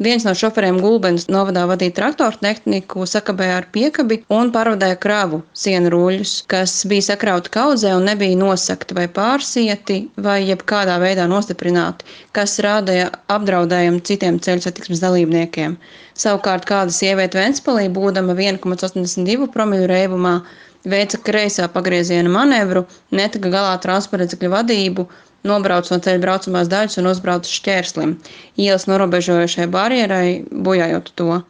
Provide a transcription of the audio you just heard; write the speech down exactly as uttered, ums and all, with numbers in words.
Viens no šoferiem Gulbenes novadā vadīja traktoru tehniku, sakabēja ar piekabi un pārvadāja kravu sienu ruļļus, kas bija sakrauti kaudzē un nebija nosakti vai pārsieti vai jebkādā veidā nostiprināti, kas rādīja apdraudējumu citiem ceļu satiksmes dalībniekiem. Savukārt kāda sieviete Ventspilī, būdama viena komats astoņdesmit divi promili reibumā, veica kreisā pagrieziena manevru, netika galā ar transporta līdzekļu vadību, nobrauca no ceļa braucamās daļas un uzbrauca šķērslim, ielas norobežojošai barjerai, bojājot to.